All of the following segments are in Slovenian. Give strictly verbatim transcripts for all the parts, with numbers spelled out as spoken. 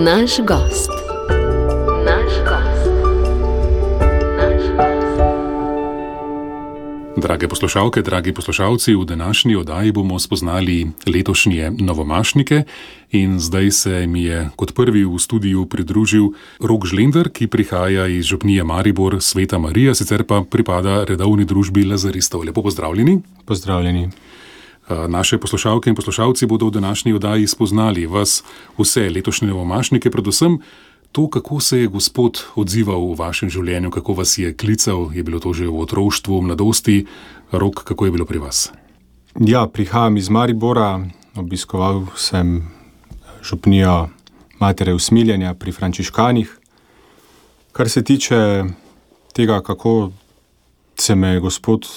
Naš gost. Naš gost. Naš gost. Drage poslušalke, dragi poslušalci, v današnji oddaji bomo spoznali letošnje novomašnike in zdaj se mi je kot prvi v studiu pridružil Rok Žlender, ki prihaja iz župnije Maribor, Sveta Marija, sicer pa pripada redovni družbi lazaristov. Lepo pozdravljeni. Pozdravljeni. Naše poslušalke in poslušalci bodo v današnji oddaji spoznali vas vse letošnje novomašnike, predvsem to, kako se je Gospod odzival v vašem življenju, kako vas je klical, je bilo to že v otroštvu, v mladosti. Rok, kako je bilo pri vas? Ja, prihajam iz Maribora, obiskoval sem župnijo Matere usmiljenja pri frančiškanih. Kar se tiče tega, kako se me je Gospod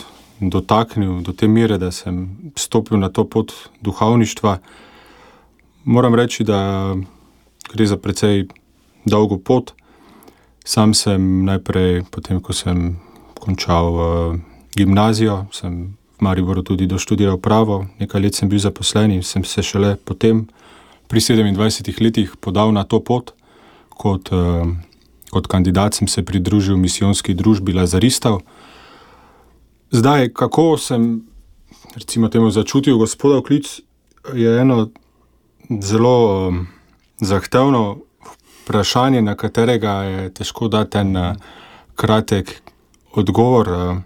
dotaknil do te mere, da sem stopil na to pot duhovništva, moram reči, da gre za precej dolgo pot. Sam sem najprej, potem ko sem končal uh, gimnazijo, sem v Mariboru tudi doštudiral pravo, nekaj let sem bil zaposlen in sem se šele potem pri sedemindvajsetih letih podal na to pot. Kot, uh, kot kandidat sem se pridružil misijonski družbi lazaristov. Zdaj, kako sem, recimo temu, začutil Gospodov klic, je eno zelo um, zahtevno vprašanje, na katerega je težko dati en uh, kratek odgovor. Uh,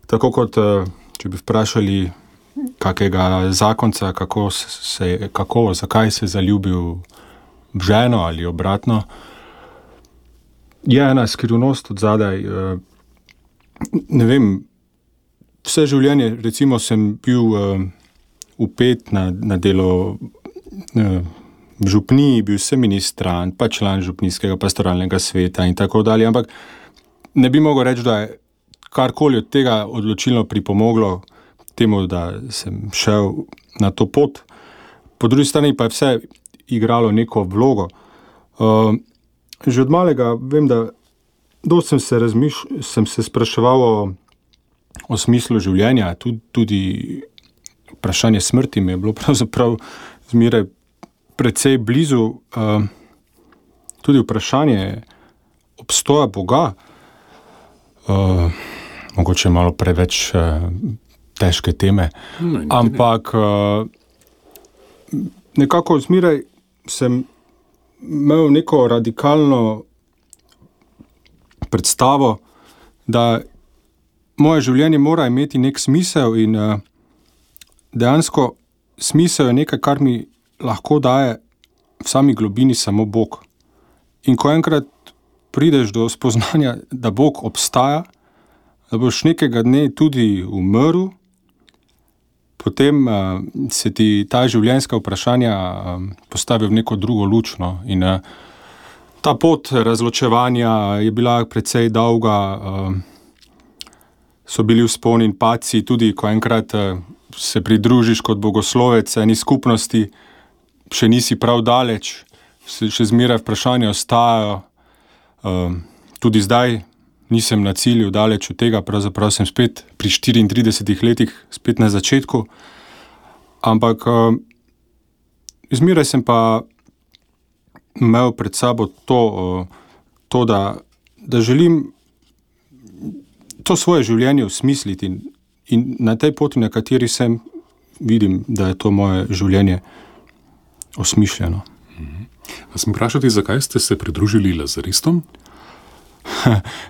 tako kot, uh, če bi vprašali kakega zakonca, kako se, kako, zakaj se je zaljubil v ženo ali obratno, je ena skrivnost od zadaj. Uh, Ne vem, vse življenje, recimo, sem bil uh, vpet na, na delo uh, v župniji, bil sem ministrant, pa član župnijskega pastoralnega sveta in tako dalje, ampak ne bi mogel reči, da je karkoli od tega odločilno pripomoglo temu, da sem šel na to pot. Po drugi strani pa je vse igralo neko vlogo. Uh, že od malega vem, da Dost sem se, razmiš, sem se spraševal o, o smislu življenja, tudi, tudi vprašanje smrti mi je bilo pravzaprav zmeraj precej blizu. Uh, tudi vprašanje obstoja Boga, uh, mogoče malo preveč uh, težke teme, no, ampak uh, nekako zmeraj sem imel neko radikalno predstavo, da moje življenje mora imeti nek smisel in uh, dejansko smisel je nekaj, kar mi lahko daje v sami globini samo Bog. In ko enkrat prideš do spoznanja, da Bog obstaja, da boš nekega dne tudi umrl, potem uh, se ti ta življenjska vprašanja uh, postavi v neko drugo luč, no, in uh, ta pot razločevanja je bila precej dolga, so bili vzponi in padci, tudi ko enkrat se pridružiš kot bogoslovec eni skupnosti, še nisi prav daleč, še zmeraj vprašanja ostajajo. Tudi zdaj nisem na cilju daleč od tega, pravzaprav sem spet pri štiriintridesetih letih, spet na začetku, ampak zmeraj sem pa imel pred sabo to, to da, da želim to svoje življenje osmisliti in, in na tej poti, na kateri sem, vidim, da je to moje življenje osmišljeno. Mhm. Vas mi vprašati, zakaj ste se pridružili lazaristom?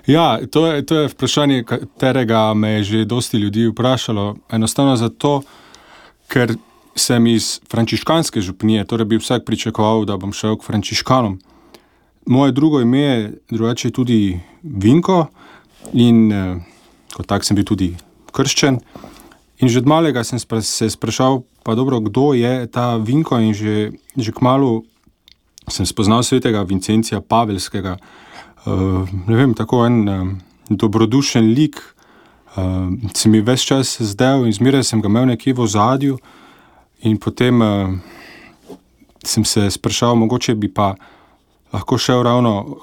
Ja, to je, to je vprašanje, katerega me je že dosti ljudi vprašalo. Enostavno zato, ker sem iz frančiškanske župnije, torej bi vsak pričakoval, da bom šel k frančiškanom. Moje drugo ime je drugače tudi Vinko in eh, kot tak sem bil tudi krščen. In že od malega sem spra- se sprašal, pa dobro, kdo je ta Vinko, in že, že kmalu sem spoznal svetega Vincencija Pavelskega. Uh, ne vem, tako en uh, dobrodušen lik, uh, se mi ves čas zdel in zmeraj sem ga imel nekje v ozadju. In potem uh, sem se sprašal, mogoče bi pa lahko šel ravno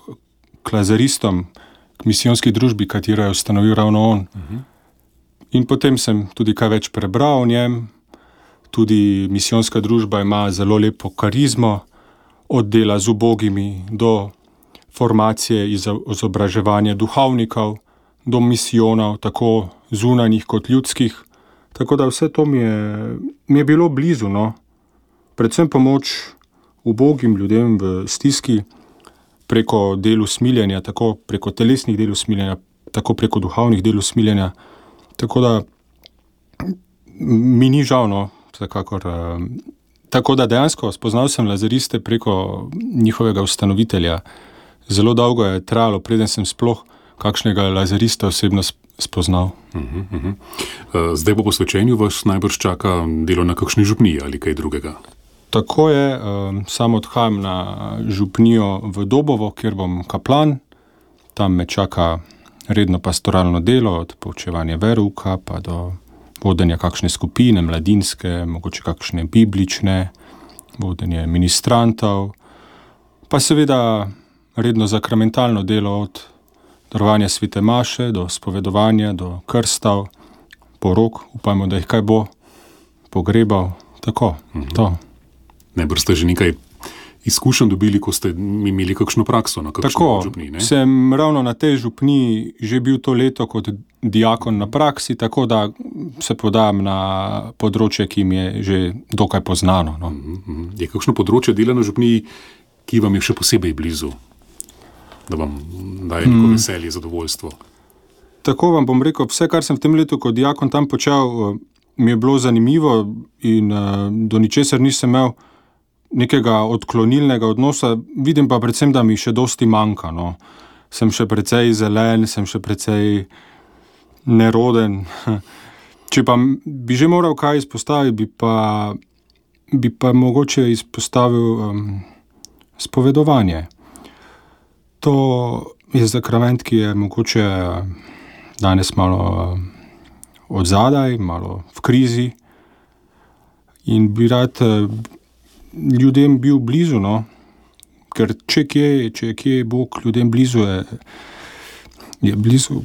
k lazaristom, k misijonski družbi, katero je ustanovil ravno on. Uh-huh. In potem sem tudi kaj več prebral o njem. Tudi misijonska družba ima zelo lepo karizmo, od dela z ubogimi do formacije izobraževanja duhovnikov, do misijonov, tako zunanjih kot ljudskih. Tako da vse to mi je, mi je bilo blizu, no. Predvsem pomoč ubogim ljudem v stiski preko del usmiljenja, tako preko telesnih del usmiljenja, tako preko duhovnih del usmiljenja. Tako da mi ni žal, no, vsekakor. Tako da dejansko spoznal sem lazariste preko njihovega ustanovitelja. Zelo dolgo je trajalo, preden sem sploh kakšnega lazarista osebno spoznal. Uh-huh, uh-huh. Zdaj po posvečenju vas najbrž čaka delo na kakšni župniji ali kaj drugega? Tako je, sam odhajam na župnijo v Dobovo, kjer bom kaplan. Tam me čaka redno pastoralno delo, od poučevanja verouka pa do vodenja kakšne skupine, mladinske, mogoče kakšne biblične, vodenje ministrantov, pa seveda redno zakramentalno delo od darovanja svete maše do spovedovanja, do krstav, porok, upajmo, da jih kaj bo, pogrebal, tako, mhm. to. Najbrž ste že nekaj izkušenj dobili, ko ste imeli kakšno prakso na kakšni tako, župniji, ne? Tako, sem ravno na tej župniji že bil to leto kot diakon na praksi, tako da se podajam na področje, ki mi je že dokaj poznano. No. Uh-huh. Je kakšno področje dela na župniji, ki vam je še posebej blizu, da vam daje neko mm. veselje, zadovoljstvo? Tako vam bom rekel, vse, kar sem v tem letu kot diakon tam počel, mi je bilo zanimivo in uh, do ničesar nisem imel nekega odklonilnega odnosa, vidim pa predvsem, da mi še dosti manjka. No. Sem še precej zelen, sem še precej neroden. Če pa bi že moral kaj izpostaviti, bi pa, bi pa mogoče izpostavil um, spovedovanje. To je zakrament, ki je mogoče danes malo odzadaj, malo v krizi in bi rad ljudem bil blizu, no? Ker če kje, če kje je Bog ljudem blizu, je, je blizu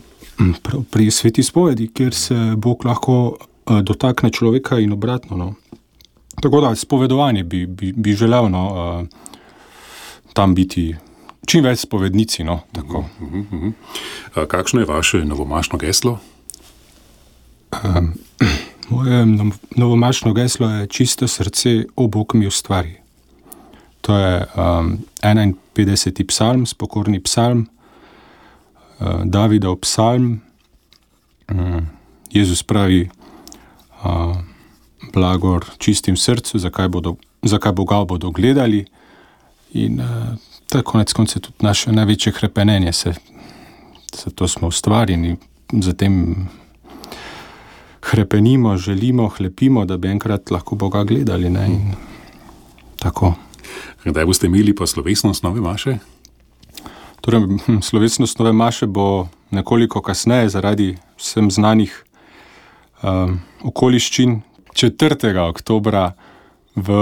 pri sveti spovedi, kjer se Bog lahko dotakne človeka in obratno. No? Tako da spovedovanje bi, bi, bi želel no, tam biti čim več spovednici. No? Tako. Uh-huh, uh-huh. Kakšno je vaše novomašno geslo? Um, moje novomašno geslo je čisto srce, o Bog mi ustvari. To je um, enainpetdeseti psalm, spokorni psalm, uh, Davidov psalm. Um, Jezus pravi, uh, blagor čistim srcu, zakaj, bodo, zakaj Boga bodo gledali. In uh, to je konec konca tudi naše največje hrepenenje, se, se to smo ustvarjeni, zatem hrepenimo, želimo, hlepimo, da bi enkrat lahko Boga gledali. Ne? In tako. Kdaj boste imeli pa slovesnost nove maše? Torej, slovesnost nove maše bo nekoliko kasneje zaradi vsem znanih um, okoliščin četrtega oktobra v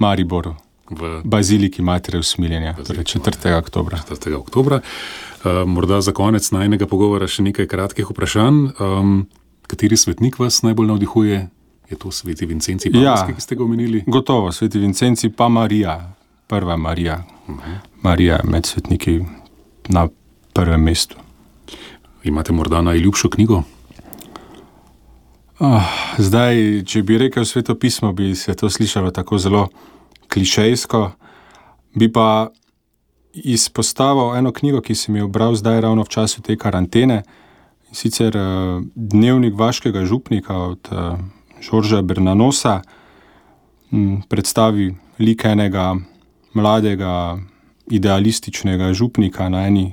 Mariboru, v Baziliki Matere usmiljenja, torej četrtega oktobra. četrtega oktobra. Uh, morda za konec najnega pogovora še nekaj kratkih vprašanj. Um, kateri svetnik vas najbolj navdihuje? Je to sveti Vincenci Pavelski, ja, ki ste ga omenili? Gotovo, sveti Vincenci pa Marija, prva Marija. Uh-huh. Marija med svetniki na prvem mestu. Imate morda najljubšo knjigo? Oh, zdaj, če bi rekel Sveto pismo, bi se to slišalo tako zelo klišejsko. Bi pa izpostavil eno knjigo, ki sem jo bral zdaj ravno v času te karantene, sicer uh, Dnevnik vaškega župnika od uh, Žorža Bernanosa, m, predstavi lik enega mladega idealističnega župnika na eni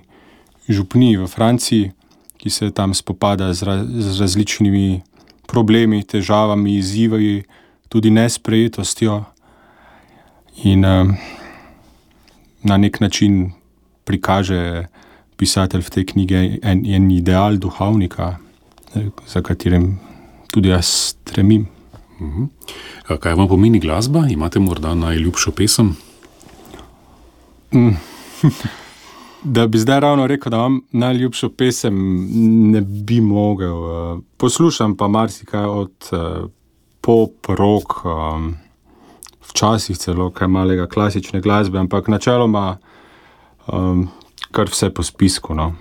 župniji v Franciji, ki se tam spopada z, ra- z različnimi problemi, težavami, izzivi, tudi nesprejetostjo in um, na nek način prikaže pisatelj v tej knjigi en, en ideal duhovnika, za katerim tudi jaz stremim. Uh-huh. Kaj vam pomeni glasba? Imate morda najljubšo pesem? Mm. Da bi zdaj ravno rekel, da imam najljubšo pesem, ne bi mogel. Poslušam pa marsikaj od pop, rock, včasih celo kaj malega klasične glasbe, ampak načeloma um, kar vse po spisku. No.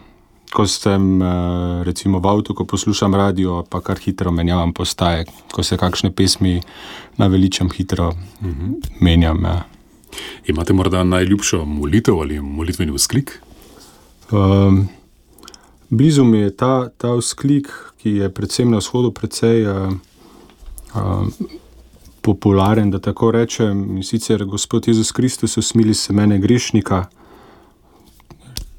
Ko sem uh, recimo v avtu, ko poslušam radio, pa kar hitro menjavam postaje, ko se kakšne pesmi naveličam, hitro uh-huh. menjam. Ja. Imate morda najljubšo molitev ali molitveni vzklik? Um, blizu mi je ta, ta vzklik, ki je predvsem na vzhodu precej uh, uh, popularen, da tako rečem, in sicer Gospod Jezus Kristus, usmili se mene grešnika.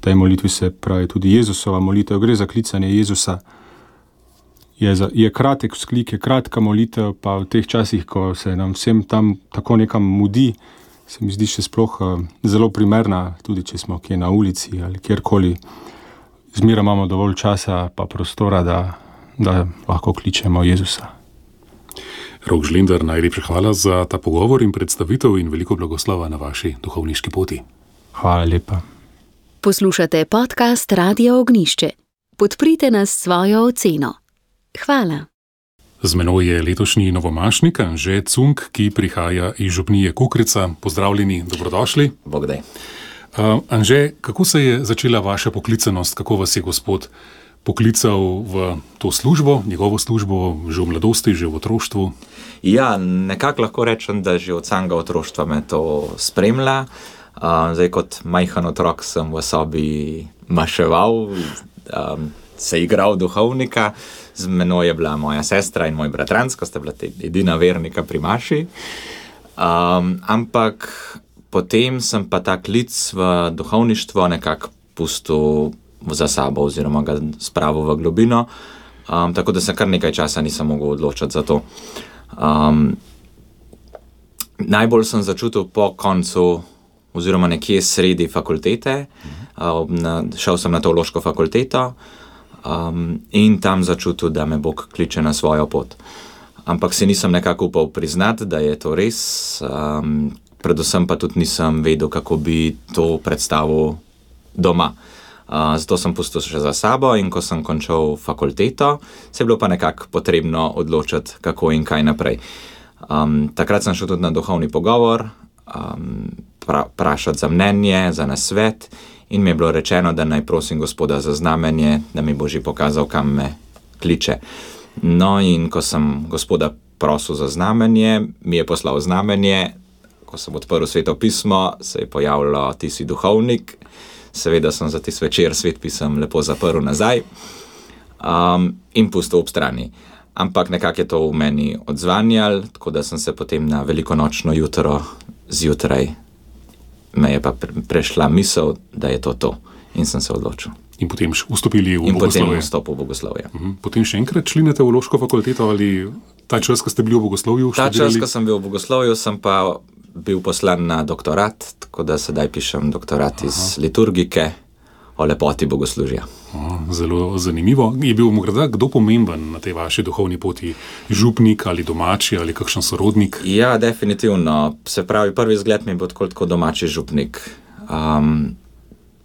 V tej molitvi se pravi tudi Jezusova molitev, gre za klicanje Jezusa. Je, za, je kratek vzklik, je kratka molitev, pa v teh časih, ko se nam vsem tam tako nekam mudi, se mi zdi še sploh uh, zelo primerna, tudi če smo kje na ulici ali kjerkoli. Zmeraj imamo dovolj časa pa prostora, da, da lahko kličemo Jezusa. Rok Žlender, najlepša hvala za ta pogovor in predstavitev in veliko blagoslova na vaši duhovniški poti. Hvala lepa. Poslušate podcast Radia Ognjišče. Podprite nas s svojo oceno. Hvala. Z menoj je letošnji novomašnik Anže Cunk, ki prihaja iz župnije Kokrica. Pozdravljeni, dobrodošli. Bog daj. Uh, Anže, kako se je začela vaša poklicanost, kako vas je Gospod poklical v to službo, njegovo službo, že v mladosti, že v otroštvu? Ja, nekako lahko rečem, da že od samega otroštva me to spremlja. Uh, zdaj, kot majhen otrok sem v sobi maševal, um, se igral duhovnika, z menoj je bila moja sestra in moj bratranc, ko sta bila edina vernika pri maši. Um, ampak potem sem pa ta klic v duhovništvo nekako pustil za sabo oziroma ga spravil v globino, um, tako da se kar nekaj časa nisem mogel odločiti za to. Um, najbolj sem začutil po koncu oziroma nekje sredi fakultete, um, na, šel sem na teološko fakulteto um, in tam začutil, da me Bog kliče na svojo pot. Ampak si nisem nekako upal priznati, da je to res, um, predvsem pa tudi nisem vedel, kako bi to predstavil doma. Uh, zato sem pustil še za sabo in ko sem končal fakulteto, se je bilo pa nekako potrebno odločiti, kako in kaj naprej. Um, takrat sem šel tudi na duhovni pogovor, um, pra, prašati za mnenje, za nasvet in mi je bilo rečeno, da naj prosim Gospoda za znamenje, da mi bo že pokazal, kam me kliče. No in ko sem Gospoda prosil za znamenje, mi je poslal znamenje, ko sem odprl Sveto pismo, se je pojavilo, ti si duhovnik. Seveda sem za tisti večer Svet pisem lepo zaprl nazaj um, in pustil ob strani. Ampak nekako je to v meni odzvanjalo, tako da sem se potem na velikonočno jutro zjutraj me je pa prešla misel, da je to to. In sem se odločil. In potem vstopili v in bogoslovje. In potem vstopil v bogoslovje. Uh-huh. Potem še enkrat šli na teološko fakulteto ali ta čas, ko ste bili v bogoslovju? Ta čas, ko sem bil v bogoslovju, sem pa bil poslan na doktorat, tako da sedaj pišem doktorat Aha. iz liturgike o lepoti bogoslužja. Aha, zelo zanimivo. Je bil morda kdo pomemben na tej vaši duhovni poti? Župnik ali domači ali kakšen sorodnik? Ja, definitivno. Se pravi, prvi vzgled mi je bil tako, tako domači župnik. Um,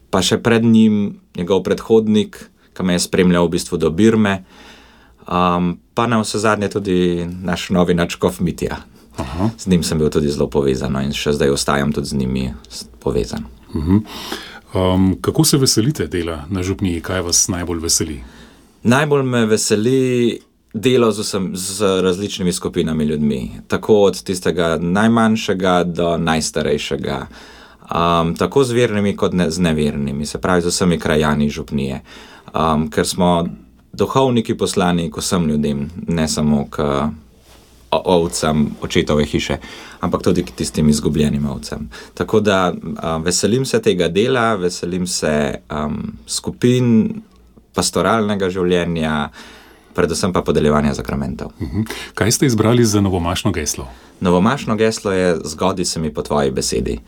pa še pred njim njegov predhodnik, ki me je spremljal v bistvu do Birme, um, pa na vse zadnje tudi naš novi nadškof Mitja. Aha. Z njim sem bil tudi zelo povezan in še zdaj ostajam tudi z njimi povezan. Uh-huh. Um, kako se veselite dela na župniji? Kaj vas najbolj veseli? Najbolj me veseli delo z, vsem, z različnimi skupinami ljudmi. Tako od tistega najmanjšega do najstarejšega. Um, tako z vernimi kot ne, z nevernimi. Se pravi z vsemi krajani župnije. Um, ker smo duhovniki poslani k vsem ljudem, ne samo k ovcem očetove hiše, ampak tudi k tistim izgubljenim ovcem. Tako da um, veselim se tega dela, veselim se um, skupin, pastoralnega življenja, predvsem pa podeljevanja sakramentov. Uh-huh. Kaj ste izbrali za novomašno geslo? Novomašno geslo je Zgodi se mi po tvoji besedi.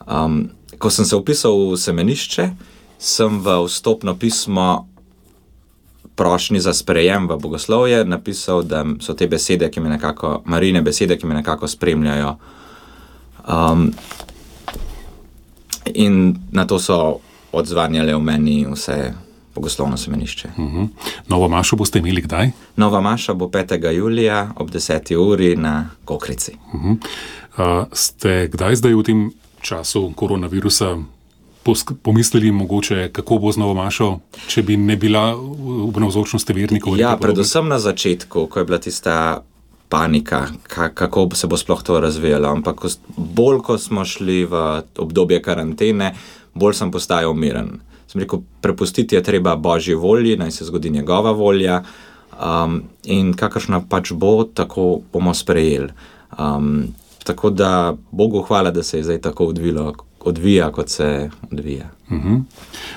Um, ko sem se vpisal v semenišče, sem v vstopno pismo prošnji za sprejem v bogoslovje napisal, da so te besede, ki me nekako, Marijine besede, ki me nekako spremljajo. Um, in na to so odzvanjale v meni vse bogoslovno semenišče. Uh-huh. Novo mašo boste imeli kdaj? Nova maša bo petega julija ob deseti uri na Kokrici. Uh-huh. Uh, ste kdaj zdaj v tem času koronavirusa pomislili mogoče, kako bo z Novomašo, če bi ne bila v navzočnosti vernikov? Ja, predvsem na začetku, ko je bila tista panika, kako se bo sploh to razvijalo. Ampak bolj, ko smo šli v obdobje karantene, bolj sem postajal miren. Sem rekel, prepustiti je treba Božji volji, naj se zgodi njegova volja um, in kakršna pač bo, tako bomo sprejeli. Um, tako da Bogu hvala, da se je zdaj tako odvilo, odvija, kot se odvija. Uh-huh.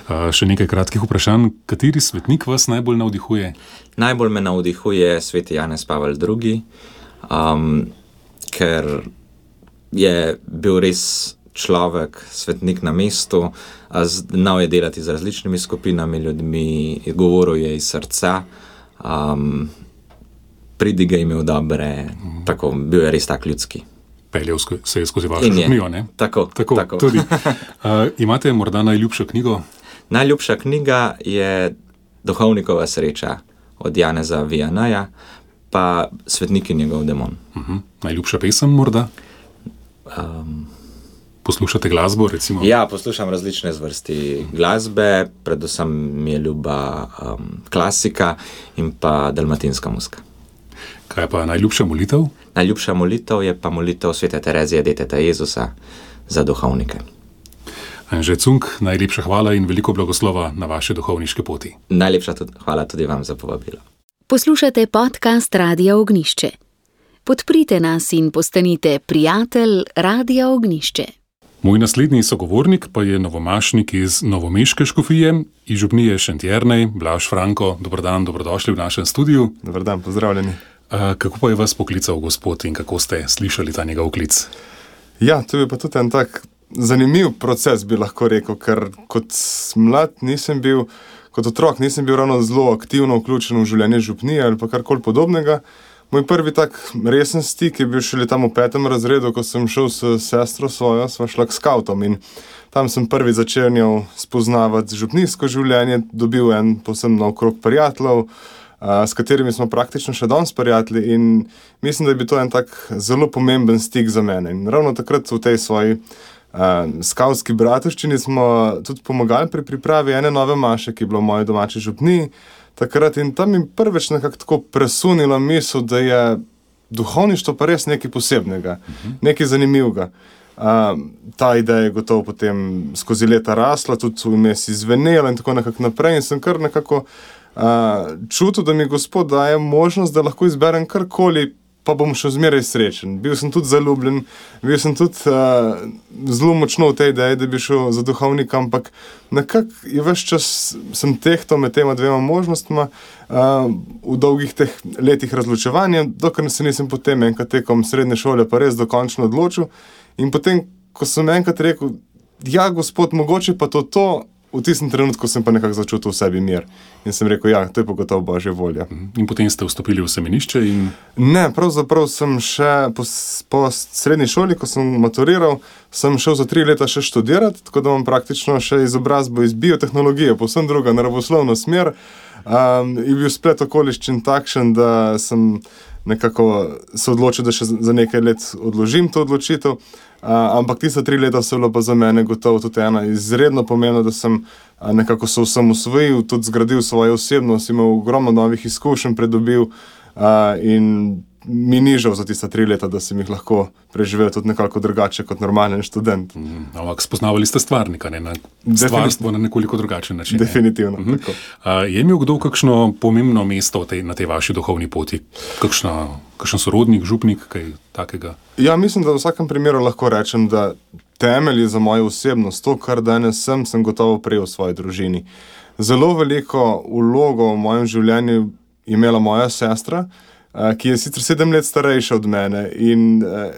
Uh, še nekaj kratkih vprašanj. Kateri svetnik vas najbolj navdihuje? Najbolj me navdihuje sveti Janez Pavel drugi, um, ker je bil res človek, svetnik na mestu, znal je delati z različnimi skupinami ljudmi, govoril je iz srca, um, pridige imel dobre, uh-huh. Tako, bil je res tak ljudski. Peljal se je skozi vašo župnijo, ne? Tako, tako. tako. Tudi. Uh, imate morda najljubšo knjigo? Najljubša knjiga je Duhovnikova sreča od Janeza Vianneyja, pa Svetnik in njegov demon. Uh-huh. Najljubša pesem morda? Um, Poslušate glasbo, recimo? Ja, poslušam različne zvrsti glasbe, predvsem mi je ljuba um, klasika in pa dalmatinska muzika. Kaj pa najljubša molitev? Najljubša molitev je pa molitev svete Terezije, deteta Jezusa, za duhovnike. Anže Cunk, najlepša hvala in veliko blagoslova na vaše duhovniške poti. Najlepša tudi, hvala tudi vam za povabilo. Poslušate podcast Radia Ognišče. Podprite nas in postanite prijatelj Radia Ognišče. Moj naslednji sogovornik pa je novomašnik iz novomeške škofije, iz župnije Šentjernej, Blaž Franko. Dober dan, dobrodošli v našem studiu. Dober dan, pozdravljeni. A, kako pa je vas poklical Gospod in kako ste slišali ta njegov klic? Ja, to je pa tudi en tak zanimiv proces, bi lahko rekel, ker kot mlad nisem bil, kot otrok nisem bil ravno zelo aktivno vključen v življenje župnije ali pa karkoli podobnega. Moj prvi tak resen stik je bil šele tam v petem razredu, ko sem šel s sestro svojo, sva šla k skavtom in tam sem prvi začenjal spoznavati župnijsko življenje, dobil en povsem nov krog prijateljev, s katerimi smo praktično še danes prijatelji in mislim, da je bil to en tak zelo pomemben stik za mene. In ravno takrat v tej svoji uh, skavtski bratovščini smo tudi pomagali pri pripravi ene nove maše, ki je bila v moji domači župniji takrat in tam mi prvič nekako tako presunila misel, da je duhovništvo pa res nekaj posebnega, uh-huh. nekaj zanimivega. Uh, ta ideja je gotovo potem skozi leta rasla, tudi vmes izvenela in tako nekako naprej in sem kar nekako Uh, čutil, da mi Gospod daje možnost, da lahko izberem karkoli, pa bom še zmeraj srečen. Bil sem tudi zaljubljen, bil sem tudi uh, zelo močno v tej ideji, da bi šel za duhovnika, ampak nekako je ves čas sem tehtal med tema dvema možnostma uh, v dolgih teh letih razločevanja, dokler se nisem potem enkrat tekom srednje šole pa res dokončno odločil. In potem, ko sem enkrat rekel, ja, Gospod, mogoče pa to to, v tistem trenutku sem pa nekako začutil v sebi mir. In sem rekel, ja, to je pa gotovo Božja volja. In potem ste vstopili v semenišče in... Ne, pravzaprav sem še po, po srednji šoli, ko sem maturiral, sem šel za tri leta še študirati, tako da imam praktično še izobrazbo iz biotehnologije, povsem druga, naravoslovna smer. Um, in bil splet okoliščin takšen, da sem nekako se odločil, da še za nekaj let odložim to odločitev. Uh, ampak tista tri leta so bilo pa za mene gotovo tudi ena izredno pomembna, da sem uh, nekako se vsem usvojil, tudi zgradil svojo osebnost, imel ogromno novih izkušenj, pridobil uh, in mi ni žal za tista tri leta, da sem jih lahko preživel tudi nekako drugače kot normalen študent. Mm, ampak spoznavali ste stvarnika, ne? Na stvarstvo na nekoliko drugačen način. Definitivno. Ne? Uh-huh. uh, je imel kdo kakšno pomembno mesto tej, na tej vaši duhovni poti? Kakšna, kakšen sorodnik, župnik, kaj takega? Ja, mislim, da v vsakem primeru lahko rečem, da temelji za mojo osebnost, to, kar danes sem, sem gotovo prejel v svoji družini. Zelo veliko vlogo v mojem življenju je imela moja sestra, ki je sicer sedem let starejša od mene in uh,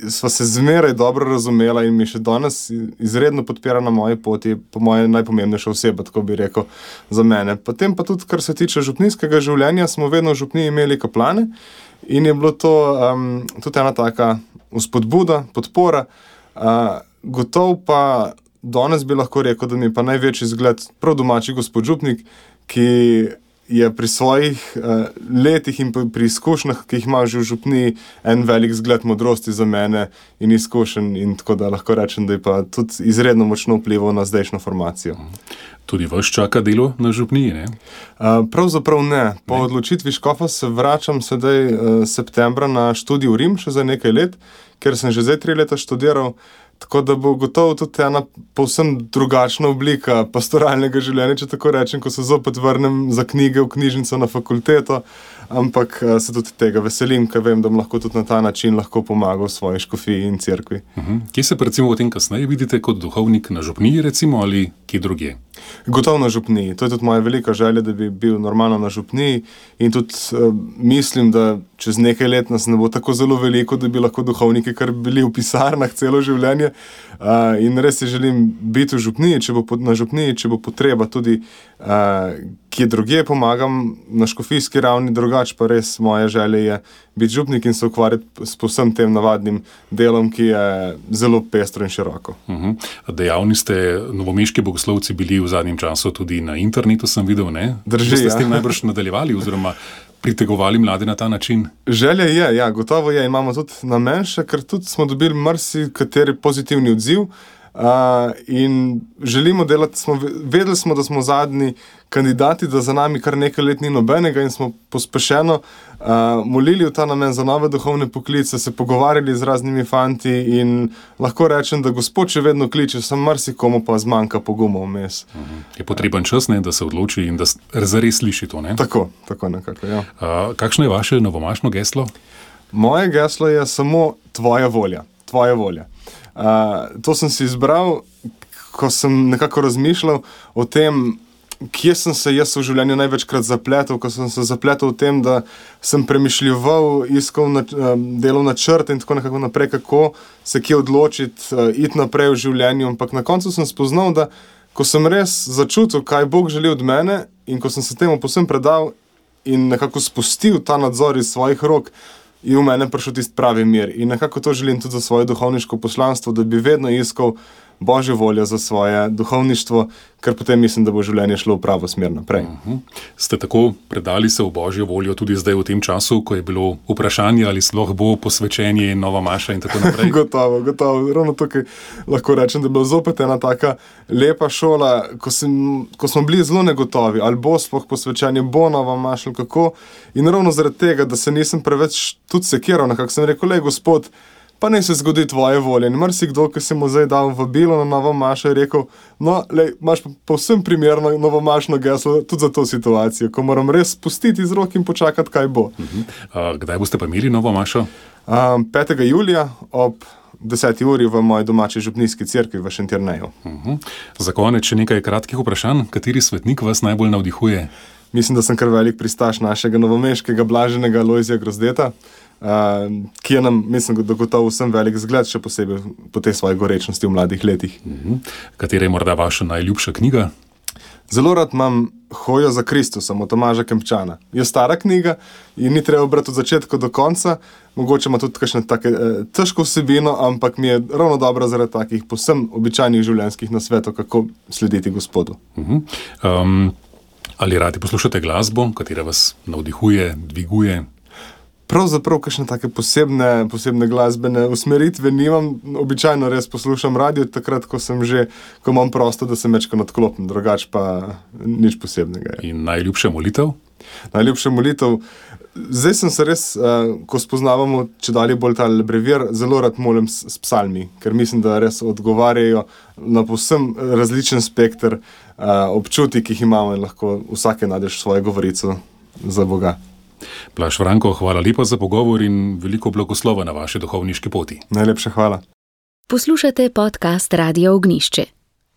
sva se zmeraj dobro razumela in mi še danes izredno podpira na moji poti, po moje najpomembnejša oseba, tako bi rekel, za mene. Potem pa tudi, kar se tiče župnijskega življenja, smo vedno v župniji imeli kaplane in je bilo to um, tudi ena taka vzpodbuda, podpora. Uh, gotov pa danes bi lahko rekel, da mi pa največji zgled prav domači gospod župnik, ki je pri svojih uh, letih in pri izkušnjah, ki jih ima že v župniji, en velik zgled modrosti za mene in izkušenj, in tako da lahko rečem, da je pa tudi izredno močno vplival na zdajšnjo formacijo. Tudi vas čaka delo na župniji, ne? Uh, pravzaprav ne. Po ne. odločitvi škofa se vračam sedaj uh, septembra na študij v Rim še za nekaj let, ker sem že zdaj tri leta študiral. Tako da bo gotovo tudi ena povsem drugačna oblika pastoralnega življenja, če tako rečem, ko se zopet vrnem za knjige v knjižnico na fakulteto, ampak se tudi tega veselim, ker vem, da bom lahko tudi na ta način lahko pomagal svoji škofiji in cerkvi. Uh-huh. Kje se pa recimo v tem kasneje vidite kot duhovnik na župniji recimo ali kje drugje? Gotovo na župniji. To je tudi moja velika želja, da bi bil normalno na župniji in tudi uh, mislim, da čez nekaj let nas ne bo tako zelo veliko, da bi lahko duhovniki kar bili v pisarnah celo življenje. Uh, in res si želim biti v župniji, če bo na župniji, če bo potreba tudi uh, kje drugje pomagam na škofijski ravni, drugače pa res moja želja je biti župnik in se ukvarjati s povsem tem navadnim delom, ki je zelo pestro in široko. Uh-huh. Dejavni ste novomeški bogoslovci bili v zadnjem času tudi na internetu, sem videl, ne? Drži, ste ja. s tem najbrž nadaljevali oziroma pritegovali mlade na ta način? Želja je, ja, gotovo je. Imamo tudi namen še, ker tudi smo dobili marsikateri pozitivni odziv uh, in želimo delati, smo, vedeli smo, da smo zadnji kandidati, da za nami kar nekaj let ni nobenega in smo pospešeno uh, molili v ta namen za nove duhovne poklice, se pogovarjali z raznimi fanti in lahko rečem, da Gospod še vedno kliče, sem marsikomu pa zmanjka poguma vmes. Uh-huh. Je potreben čas, ne, da se odloči in da zares sliši to, ne? Tako, tako nekako, ja. Uh, kakšno je vaše novomašno geslo? Moje geslo je samo tvoja volja. Tvoja volja. Uh, to sem si izbral, ko sem nekako razmišljal o tem, kje sem se jaz v življenju največkrat zapletel, ko sem se zapletel v tem, da sem premišljeval, iskal na, um, delov načrt in tako nekako naprej, kako se kje odločiti, uh, iti naprej v življenju, ampak na koncu sem spoznal, da ko sem res začutil, kaj Bog želi od mene in ko sem se temu povsem predal in nekako spustil ta nadzor iz svojih rok, je v mene prišel tisti pravi mir. In nekako to želim tudi za svoje duhovniško poslanstvo, da bi vedno iskal Božjo voljo za svoje duhovništvo, ker potem mislim, da bo življenje šlo v pravo smer naprej. Uh-huh. Ste tako predali se v Božjo voljo tudi zdaj v tem času, ko je bilo vprašanje, ali sploh bo posvečenje in nova maša in tako naprej? Gotovo, gotovo. Ravno tukaj lahko rečem, da je bila zopet ena taka lepa šola, ko, sem, ko smo bili zelo negotovi, ali bo sploh posvečenje, bo nova maša, ali kako. In ravno zaradi tega, da se nisem preveč tudi sekiral, nekako sem rekel, lej, Gospod, pa ne se zgodi tvoje volje. In marsikdo, ki si mu zdaj dal vabilo na novo mašo, je rekel, no, lej, imaš povsem primerno novomašno geslo tudi za to situacijo, ko moram res spustiti iz rok in počakati, kaj bo. Uh-huh. Uh, kdaj boste pa imeli novo mašo? Um, petega julija ob deseti uri v moji domači župnijski cerkvi v Šentjerneju. Uh-huh. Za konec še nekaj kratkih vprašanj. Kateri svetnik vas najbolj navdihuje? Mislim, da sem kar velik pristaš našega novomeškega blaženega Lojzija Grozdeta, uh, ki je nam, mislim, da gotovo vsem velik zgled, še posebej po tej svoji gorečnosti v mladih letih. Uh-huh. Katera je morda vaša najljubša knjiga? Zelo rad imam Hojo za Kristusom od Tomaža Kempčana. Je stara knjiga in ni treba brati od začetka do konca, mogoče ima tudi kakšne take eh, težko vsebino, ampak mi je ravno dobro zaradi takih povsem običajnih življenjskih nasvetov, kako slediti Gospodu. Uh-huh. Um, ali radi poslušate glasbo, katera vas navdihuje, dviguje? Pravzaprav kakšne take posebne, posebne glasbene usmeritve nimam, običajno res poslušam radio, takrat, ko sem že, ko imam prosto, da se mečko nadklopim, drugače pa nič posebnega. Je. In najljubša molitev? Najljubša molitev, zdaj sem se res, uh, ko spoznavamo, če dalje bolj ta brevir, zelo rad molim s, s psalmi, ker mislim, da res odgovarjajo na povsem različen spekter uh, občutij, ki jih imamo in lahko vsake najdeš svojo govorico za Boga. Blaž Franko, hvala lepa za pogovor in veliko blagoslova na vaši duhovniški poti. Najlepša hvala. Poslušate podcast Radia Ognjišče.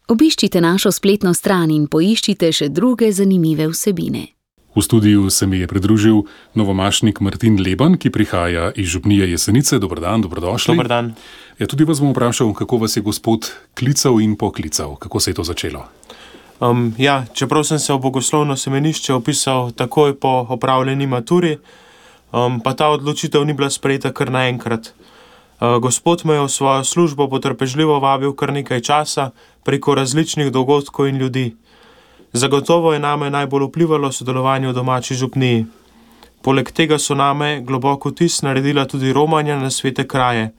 Obiščite našo spletno stran in poiščite še druge zanimive vsebine. V studiu se mi je pridružil novomašnik Martin Leban, ki prihaja iz župnije Jesenice. Dober dan, dobrodošli. Dober dan. Ja, tudi vas bom vprašal, kako vas je Gospod klical in poklical. Kako se je to začelo? Um, ja, čeprav sem se v bogoslovno semenišče opisal takoj po opravljeni maturi, um, pa ta odločitev ni bila sprejeta kar naenkrat. Uh, Gospod me je v svojo službo potrpežljivo vabil kar nekaj časa preko različnih dogodkov in ljudi. Zagotovo je name najbolj vplivalo sodelovanje v domači župniji. Poleg tega so name globoko vtis naredila tudi romanja na svete kraje.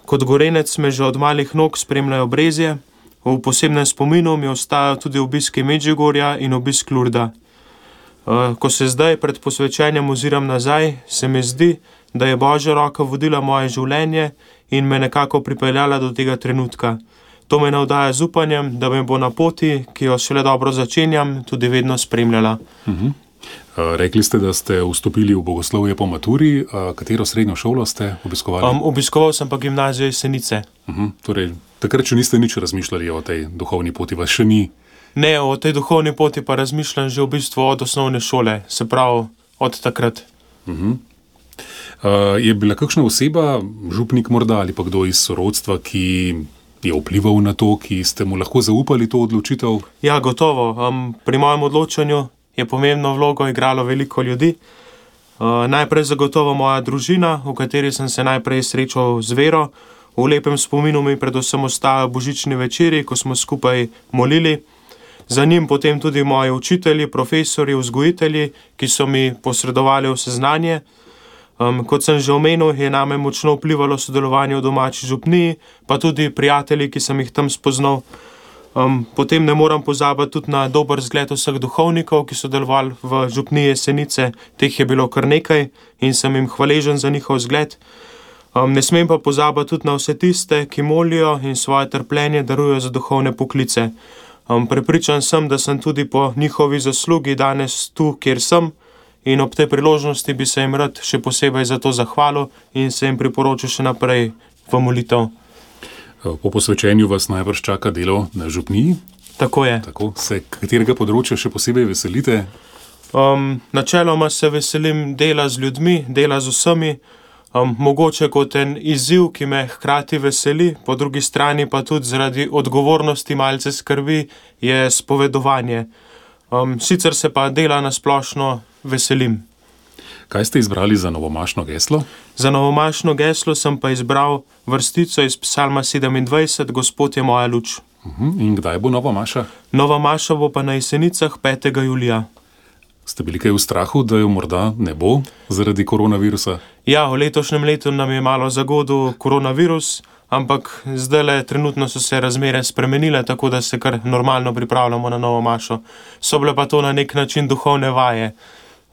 Kot Gorenec me že od malih nog spremljajo brezje, v posebnem spominu mi ostajajo tudi obiski Medžugorja in obisk Lurda. Ko se zdaj pred posvečenjem oziram nazaj, se mi zdi, da je Božja roka vodila moje življenje in me nekako pripeljala do tega trenutka. To me navdaja z upanjem, da me bo na poti, ki jo šele dobro začenjam, tudi vedno spremljala. Uh-huh. Rekli ste, da ste vstopili v bogoslovje po maturi. Katero srednjo šolo ste obiskovali? Um, obiskoval sem pa gimnazijo Jesenice. Uh-huh. Torej, takrat še niste nič razmišljali o tej duhovni poti, vas še ni? Ne, o tej duhovni poti pa razmišljam že v bistvu od osnovne šole, se pravi od takrat. Uh-huh. Uh, je bila kakšna oseba, župnik morda ali pa kdo iz sorodstva, ki je vplival na to, ki ste mu lahko zaupali to odločitev? Ja, gotovo. Um, pri mojem odločanju je pomembno vlogo igralo veliko ljudi. Uh, najprej zagotovo moja družina, v kateri sem se najprej srečal z vero. V lepem spominu mi predvsem ostajajo božični večeri, ko smo skupaj molili. Za njim potem tudi moji učitelji, profesorji, vzgojitelji, ki so mi posredovali vse znanje. Um, kot sem že omenil, je name močno vplivalo sodelovanje v domači župniji, pa tudi prijatelji, ki sem jih tam spoznal. Um, potem ne moram pozabiti tudi na dober zgled vseh duhovnikov, ki so delovali v župniji Jesenice. Teh je bilo kar nekaj in sem jim hvaležen za njihov zgled. Um, ne smem pa pozabiti tudi na vse tiste, ki molijo in svoje trpljenje darujejo za duhovne poklice. Um, prepričan sem, da sem tudi po njihovi zaslugi danes tu, kjer sem, in ob tej priložnosti bi se jim rad še posebej za to zahvalil in se jim priporočil še naprej v molitev. Po posvečenju vas najbrž čaka delo na župniji? Tako je. Tako, se katerega področja še posebej veselite? Um, načeloma se veselim dela z ljudmi, dela z vsemi, um, mogoče kot en izziv, ki me hkrati veseli, po drugi strani pa tudi zaradi odgovornosti malce skrbi, je spovedovanje. Um, sicer se pa dela na splošno veselim. Kaj ste izbrali za novomašno geslo? Za novomašno geslo sem pa izbral vrstico iz psalma sedemindvajset, Gospod je moja luč. Uh-huh. In kdaj bo nova maša? Nova maša bo pa na Jesenicah petega julija. Ste bili kaj v strahu, da jo morda ne bo zaradi koronavirusa? Ja, v letošnjem letu nam je malo zagodil koronavirus, ampak zdajle trenutno so se razmere spremenile, tako da se kar normalno pripravljamo na novo mašo. So bile pa to na nek način duhovne vaje,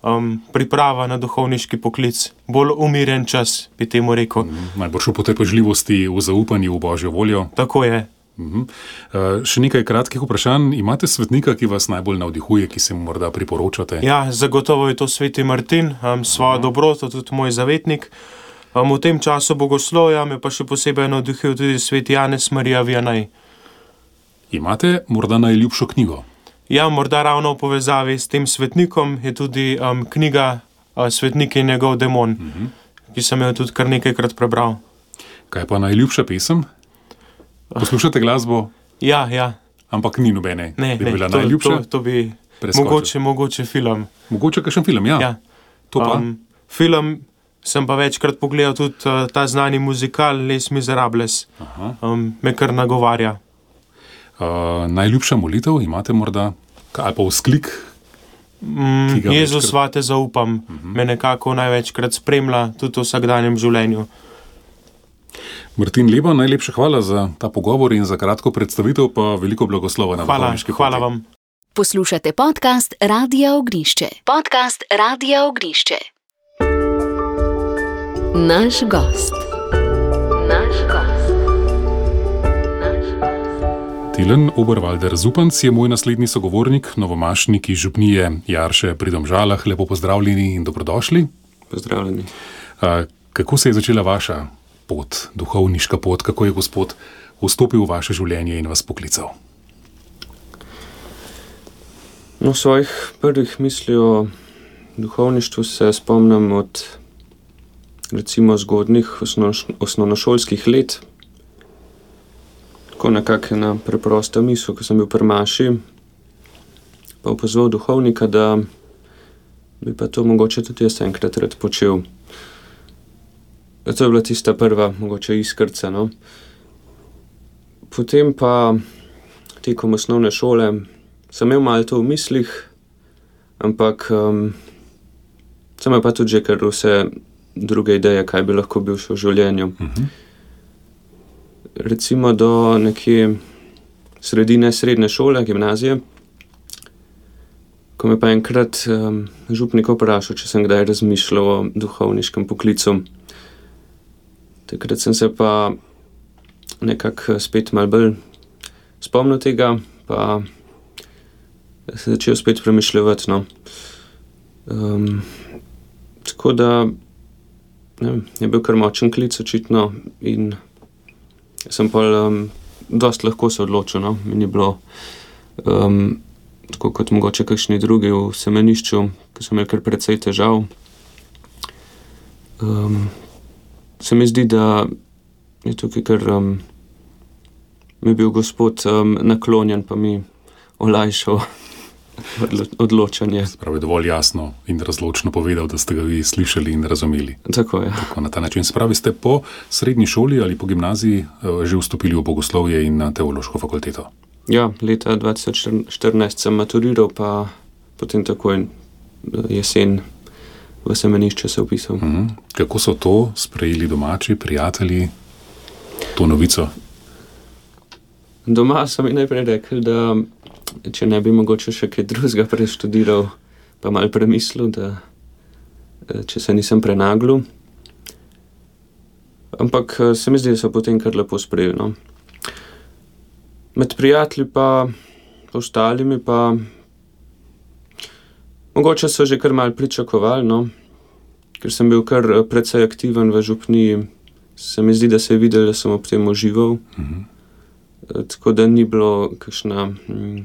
um, priprava na duhovniški poklic, bolj umirjen čas, bi temu rekel. Mm, najbolj v potrpežljivosti, v zaupanju v Božjo voljo. Tako je. Uh-huh. Uh, še nekaj kratkih vprašanj. Imate svetnika, ki vas najbolj navdihuje, ki se mu morda priporočate? Ja, zagotovo je to sveti Martin, um, svojo uh-huh. dobroto, tudi moj zavetnik. Um, v tem času bogoslovja me pa še posebej navdihuje tudi sveti Janez Marija Vianney. Imate morda najljubšo knjigo? Ja, morda ravno v povezavi s tem svetnikom je tudi um, knjiga uh, Svetnik in njegov demon, uh-huh. ki sem jo tudi kar nekajkrat prebral. Kaj pa najljubša pesem? Poslušate glasbo? Ja, ja. Ampak ni nobene, ne, bi ne, bila to, najljubša? To, to bi mogoče, mogoče film. Mogoče kakšen film, ja. ja. To pa? Um, film sem pa večkrat pogledal tudi uh, ta znani muzikal Les Miserables. Um, me kar nagovarja. Uh, najljubša molitev imate morda? Ali pa vzklik? Mm, Jezus, večkrat... vate zaupam. Uh-huh. Me nekako največkrat spremlja tudi v vsakdanjem življenju. Martin Leba, najlepša hvala za ta pogovor in za kratko predstavitev, pa veliko blagoslova na duhovniški poti. Hvala vam. Poslušate podcast Radia Ognišče. Podcast Radia Ognišče. Naš gost. Naš gost. Naš gost. Tilen Oberwalder Zupanc je moj naslednji sogovornik, novomašnik iz župnije Jarše pri Domžalah. Lepo pozdravljeni in dobrodošli. Pozdravljeni. A, kako se je začela vaša pot, duhovniška pot, kako je Gospod vstopil v vaše življenje in vas poklical? No, svojih prvih misli o duhovništvu se spomnim od recimo zgodnih osno, osnovnošolskih let. Tako nekako ena preprosta misel, ko sem bil pri maši, pa opozval duhovnika, da bi pa to mogoče tudi jaz enkrat rad počel. To je bila tista prva, mogoče iskrca, no. Potem pa tekom osnovne šole sem imel malo to v mislih, ampak um, sem imel pa tudi že kar vse druge ideje, kaj bi lahko bil še v življenju. Mhm. Recimo do nekje sredine srednje šole, gimnazije, ko me pa enkrat um, župnik vprašal, če sem kdaj razmišljal o duhovniškem poklicu. Takrat sem se pa nekako spet malo bolj spomnil tega, pa se začel spet premišljati. No. Um, tako da ne vem, je bil kar močen klic očitno in sem pa um, dost lahko se odločil. No. Mi ni bilo um, tako kot mogoče kakšni drugi v semenišču, ki so imeli kar precej težav. Um, se mi zdi, da je tukaj kar um, mi je bil gospod um, naklonjen, pa mi olajšal odločanje. Pravi, dovolj jasno in razločno povedal, da ste ga vi slišali in razumeli. Tako je. Tako na ta način. Spravi, ste po srednji šoli ali po gimnaziji že vstopili v bogoslovje in na teološko fakulteto? Ja, leta dva tisoč štirinajst sem maturiral, pa potem takoj jesen v semenišče se vpisal. Mhm. Kako so to sprejeli domači, prijatelji, to novico? Doma so mi najprej rekli, da če ne bi mogoče še kaj drugega preštudiral, pa malo premislil, da če se nisem prenaglil. Ampak se mi zdi, da so potem kar lepo sprejeli. No. Med prijatelji pa ostalimi pa mogoče so že kar malo pričakovali, no. Ker sem bil kar precej aktiven v župniji, se mi zdi, da se je videl, da sem ob tem užival. Mhm. Tako da ni bilo kakšna hm,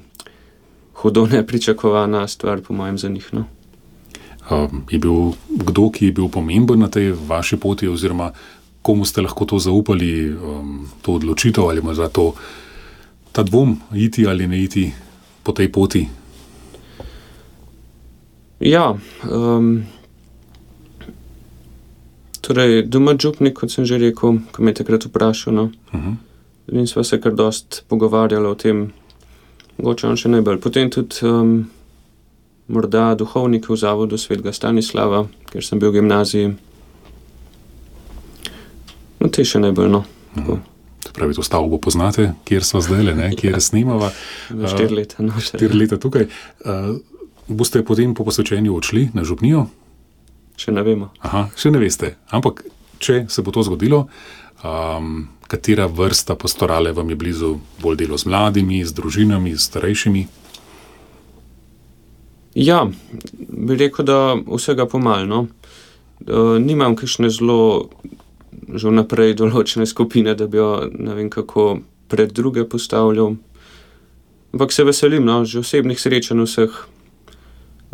hudo nepričakovana stvar po mojem za njih. No. Um, je bil kdo, ki je bil pomemben na tej vaši poti, oziroma komu ste lahko to zaupali, um, to odločitev ali morda to, ta dvom, iti ali ne iti po tej poti? Ja, um, torej doma župnik, kot sem že rekel, ko me je takrat vprašal, no. Uh-huh. In sva se kar dost pogovarjala o tem, mogoče on še najbolj. Potem tudi um, morda duhovnik v zavodu svetega Stanislava, ker sem bil v gimnaziji. No, te še najbolj, no. Mhm. To pravi, to stavbo poznate, kjer sva zdajle, ne, kjer snemava. Ja, štiri leta, no. Štiri leta tukaj. Uh, boste potem po posvečenju odšli na župnijo? Še ne vemo. Aha, še ne veste. Ampak, če se bo to zgodilo, um, katera vrsta pastorale vam je blizu? Bolj delo z mladimi, z družinami, z starejšimi? Ja, bi rekel, da vsega pomalno. Uh, nimam kakšne zelo že vnaprej določene skupine, da bi jo ne vem kako pred druge postavljal. Ampak se veselim, no, že osebnih srečanj vseh,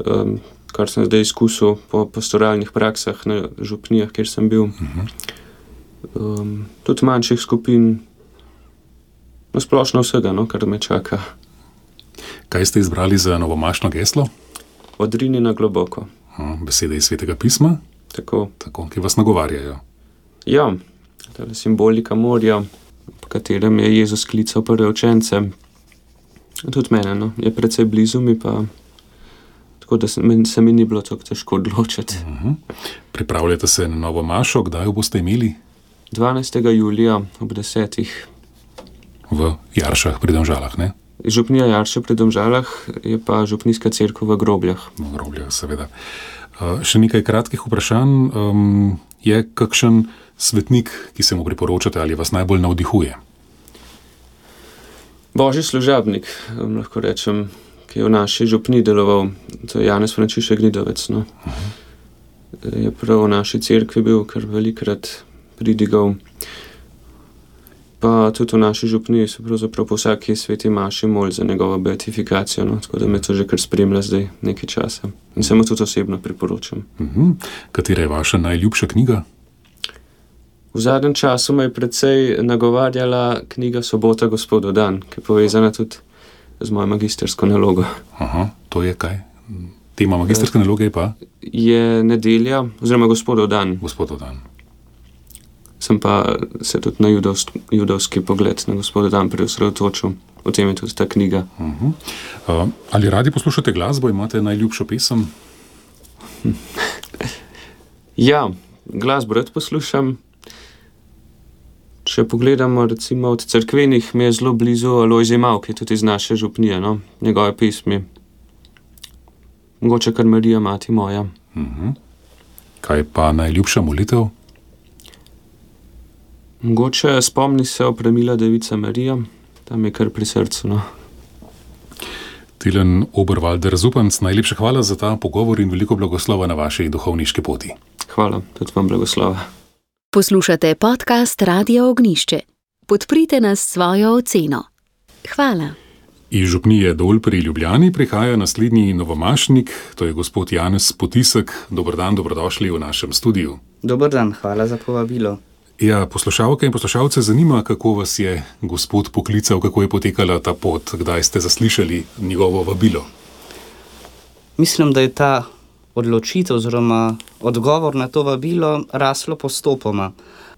um, kar sem zdaj izkusil po pastoralnih praksah na župnijah, kjer sem bil. Uh-huh. Um, tudi manjših skupin, no splošno vsega, no, kar me čaka. Kaj ste izbrali za novomašno geslo? Odrini na globoko. Uh, besede iz Svetega pisma? Tako. Tako, ki vas nagovarjajo. Ja, tale simbolika morja, po katerem je Jezus klical prve učence. Tudi mene, no, je precej blizu mi pa, tako da se, se mi ni bilo tako težko odločiti. Uh-huh. Pripravljate se na novo mašo, kdaj jo boste imeli? dvanajstega julija ob desetih. V Jaršah pri Domžalah, ne? Župnija Jarše pri Domžalah je pa župnijska cerkev v Grobljah. V Grobljah, seveda. Uh, še nekaj kratkih vprašanj. Um, je kakšen svetnik, ki se mu priporočate ali vas najbolj navdihuje? Božji služabnik, lahko rečem, ki je v naši župniji deloval, to je Janez Frančišek Gnidovec. No. Uh-huh. Je prav v naši cerkvi bil kar velikrat pridigal. Pa tudi v naši župniji se pravzaprav po vsaki sveti maši mol za njegovo beatifikacijo, no, tako da me to že kar spremlja zdaj nekaj časa. In se mu tudi osebno priporočam. Uh-huh. Katera je vaša najljubša knjiga? V zadnjem času me je precej nagovarjala knjiga Sobota Gospodov dan, ki je povezana tudi z mojo magistersko nalogo. Aha, to je kaj? Tema magisterske naloge je pa? Je nedelja, oziroma Gospodov dan. Gospodov dan. Sem pa se tudi na judovski, judovski pogled na Gospodov dan preosredotočil. o tem je tudi ta knjiga. Uh-huh. Uh, ali radi poslušate glasbo, imate najljubšo pesem? Ja, glasbo rad poslušam. Če pogledamo recimo od cerkvenih, mi je zelo blizu Alojzij Mavk, ki je tudi iz naše župnije, no? Njegove pesmi. Mogoče kar Marija, mati moja. Uh-huh. Kaj pa najljubša molitev? Mogoče spomni se Opremila devica Marija, tam je kar pri srcu, no. Tilen Oberwalder Zupanc, najlepša hvala za ta pogovor in veliko blagoslova na vaši duhovniški poti. Hvala, tudi vam blagoslova. Poslušate podcast Radia Ognišče. Podprite nas s svojo oceno. Hvala. Iz župnije Dol pri Ljubljani prihaja naslednji novomašnik, to je gospod Janez Potisek. Dober dan, dobrodošli v našem studiu. Dober dan, hvala za povabilo. Ja, poslušalke in poslušalce zanima, kako vas je gospod poklical, kako je potekala ta pot, kdaj ste zaslišali njegovo vabilo. Mislim, da je ta odločitev oziroma odgovor na to vabilo raslo postopoma.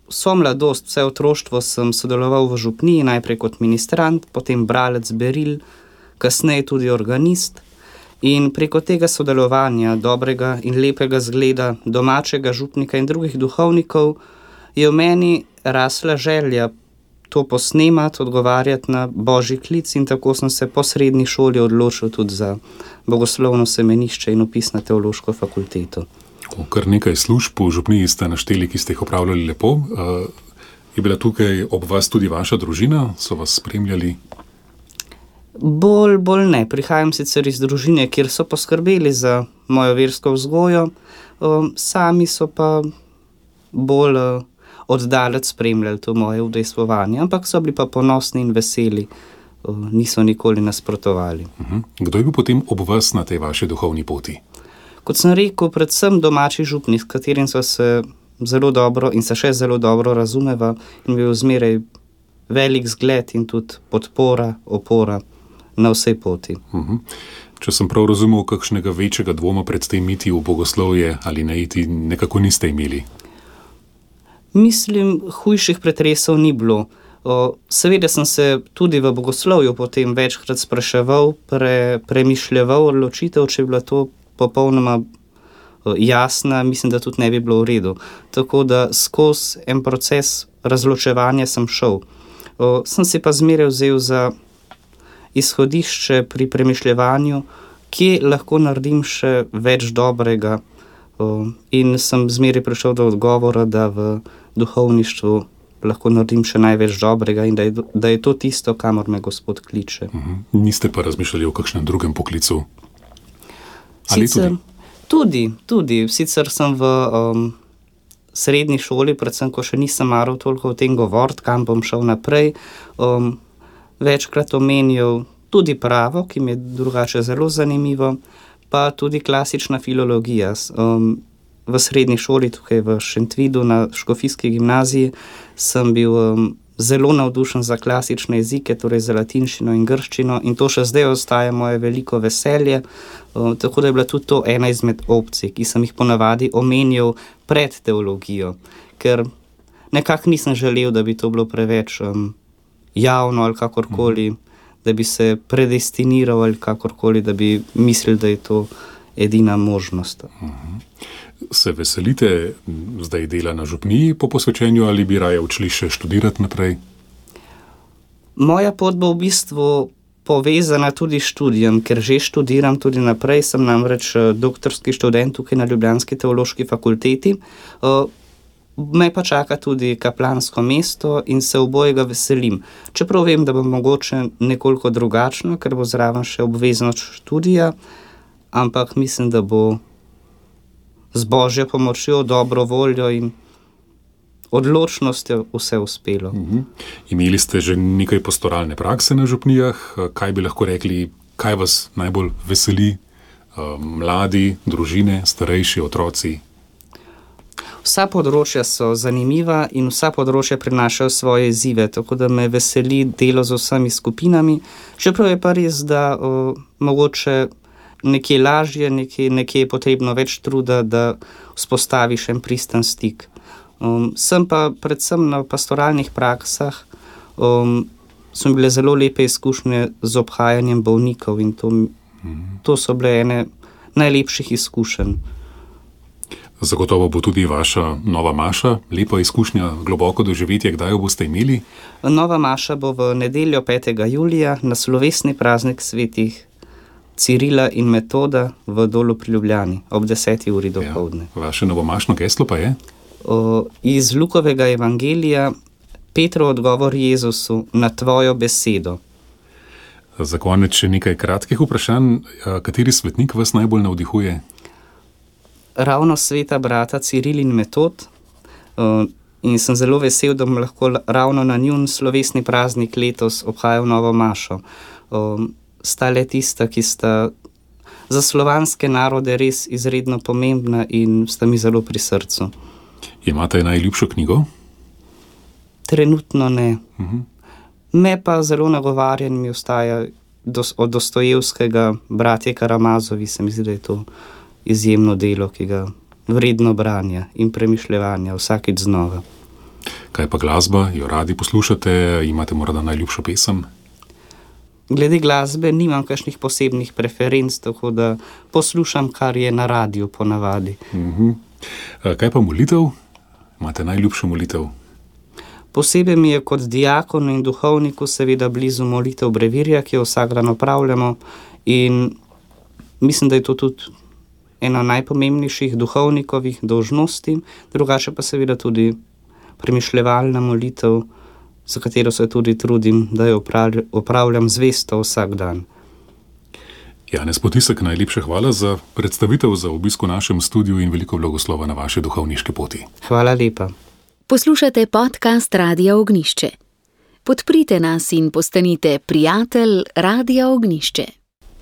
Vso mladost, vse otroštvo sem sodeloval v župniji, najprej kot ministrant, potem bralec beril, kasneje tudi organist. In preko tega sodelovanja, dobrega in lepega zgleda, domačega župnika in drugih duhovnikov, je v meni rasla želja to posnemati, odgovarjati na božji klic in tako sem se po srednji šoli odločil tudi za bogoslovno semenišče in vpis na teološko fakulteto. Kar nekaj služb v župniji ste našteli, ki ste jih opravljali lepo. Je bila tukaj ob vas tudi vaša družina? So vas spremljali? Bolj, bolj ne. Prihajam sicer iz družine, kjer so poskrbeli za mojo versko vzgojo, sami so pa bolj oddalec spremljali to moje udejstvovanje, ampak so bili pa ponosni in veseli, niso nikoli nasprotovali. Kdo je bil potem ob vas na tej vaši duhovni poti? Kot sem rekel, predvsem domači župnik, s katerim so se zelo dobro in se še zelo dobro razumeva in bil zmeraj velik zgled in tudi podpora, opora na vsej poti. Uh-huh. Če sem prav razumel, kakšnega večjega dvoma pred tem iti v bogoslovje ali ne iti, nekako niste imeli? Mislim, hujših pretresov ni bilo. O, seveda sem se tudi v bogoslovju potem večkrat spraševal, pre, premišljeval odločitev, če je bila to popolnoma o, jasna, mislim, da tudi ne bi bilo v redu. Tako da skozi en proces razločevanja sem šel. O, sem si pa zmeraj vzel za izhodišče pri premišljevanju, kje lahko naredim še več dobrega. O, in sem zmeraj prišel do odgovora, da v duhovništvu lahko naredim še največ dobrega in da je, da je to tisto, kamor me Gospod kliče. Uh-huh. Niste pa razmišljali o kakšnem drugem poklicu? Ali sicer, tudi? Tudi, tudi. Sicer sem v um, srednji šoli, predvsem, ko še nisem maral toliko o tem govoriti, kam bom šel naprej, um, večkrat omenjal tudi pravo, ki mi je drugače zelo zanimivo, pa tudi klasična filologija. Um, v srednji šoli, tukaj v Šentvidu, na škofijski gimnaziji, sem bil um, zelo navdušen za klasične jezike, torej za latinščino in grščino in to še zdaj ostaja moje veliko veselje, um, tako da je bila tudi to ena izmed opcij, ki sem jih ponavadi omenjal pred teologijo, ker nekako nisem želel, da bi to bilo preveč um, javno ali kakorkoli, da bi se predestiniral ali kakorkoli, da bi mislil, da je to edina možnost. Uh-huh. Se veselite zdaj dela na župniji po posvečenju ali bi raje odšli še študirati naprej? Moja pot bo v bistvu povezana tudi s študijem, ker že študiram tudi naprej, sem namreč doktorski študent tukaj na ljubljanski teološki fakulteti. Me pa čaka tudi kaplansko mesto in se obojega veselim. Čeprav vem, da bo mogoče nekoliko drugačno, ker bo zraven še obveznost študija, ampak mislim, da bo z Božjo pomočjo, dobro voljo in odločnostjo vse uspelo. Uh-huh. Imeli ste že nekaj pastoralne prakse na župnijah. Kaj bi lahko rekli, kaj vas najbolj veseli? Mladi, družine, starejši, otroci? Vsa področja so zanimiva in vsa področja prinašajo svoje izzive, tako da me veseli delo z vsemi skupinami. Čeprav je pa res, da o, mogoče nekje lažje, nekje, nekje je potrebno več truda, da vzpostaviš en pristen stik. Um, sem pa predvsem na pastoralnih praksah um, so mi bile zelo lepe izkušnje z obhajanjem bolnikov in to, to so bile ene najlepših izkušenj. Zagotovo bo tudi vaša nova maša, lepa izkušnja, globoko doživetje, kdaj jo boste imeli? Nova maša bo v nedeljo petega julija na slovesni praznik svetih Cirila in Metoda v Dolu pri Ljubljani ob deseti uri dopoldne. Ja, vaše novomašno geslo pa je? O, iz Lukovega evangelija Petrov odgovor Jezusu na tvojo besedo. Za konec še nekaj kratkih vprašanj. Kateri svetnik vas najbolj navdihuje? Ravno sveta brata Ciril in Metod in sem zelo vesel, da bom lahko ravno na njun slovesni praznik letos obhajal novo mašo. Sta le tista, ki sta za slovanske narode res izredno pomembna in sta mi zelo pri srcu. Imate najljubšo knjigo? Trenutno ne. Uh-huh. Me pa zelo nagovarjan mi ostaja dos, od Dostojevskega Bratje Karamazovi, se mi zdi, da je to izjemno delo, ki ga vredno branja in premišljevanja vsakič znova. Kaj pa glasba? Jo radi poslušate? Imate morda najljubšo pesem? Glede glasbe nimam kakšnih posebnih preferenc, tako da poslušam, kar je na radiju ponavadi. Uh-huh. Kaj pa molitev? Imate najljubšo molitev? Posebej mi je kot diakonu in duhovniku seveda blizu molitev brevirja, ki jo vsak dan opravljamo in mislim, da je to tudi ena najpomembnejših duhovnikovih dolžnosti, drugače pa seveda tudi premišljevalna molitev, za katero se tudi trudim, da jo opravljam zvesto vsak dan. Janez Potisek, najlepša hvala za predstavitev, za obisk v našem studiu in veliko blagoslova na vaši duhovniški poti. Hvala lepa. Poslušate podcast Radia Ognišče. Podprite nas in postanite prijatelj Radia Ognišče.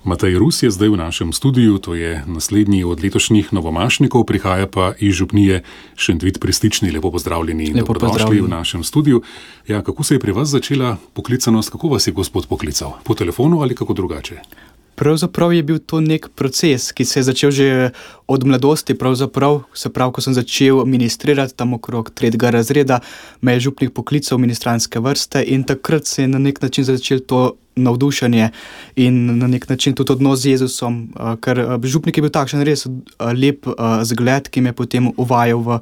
Matej Rus je zdaj v našem studiu, to je naslednji od letošnjih novomašnikov, prihaja pa iz župnije Šentvid pri Stični. Lepo pozdravljeni in dobrodošli v našem studiu. Ja, kako se je pri vas začela poklicanost, kako vas je Gospod poklical? Po telefonu ali kako drugače? Pravzaprav je bil to nek proces, ki se je začel že od mladosti, pravzaprav, se pravi, ko sem začel ministrirati tam okrog tretjega razreda, me je župnik poklical ministranske vrste in takrat se je na nek način začel to navdušenje in na nek način tudi odnos z Jezusom, ker župnik je bil takšen res lep zgled, ki me je potem uvajal v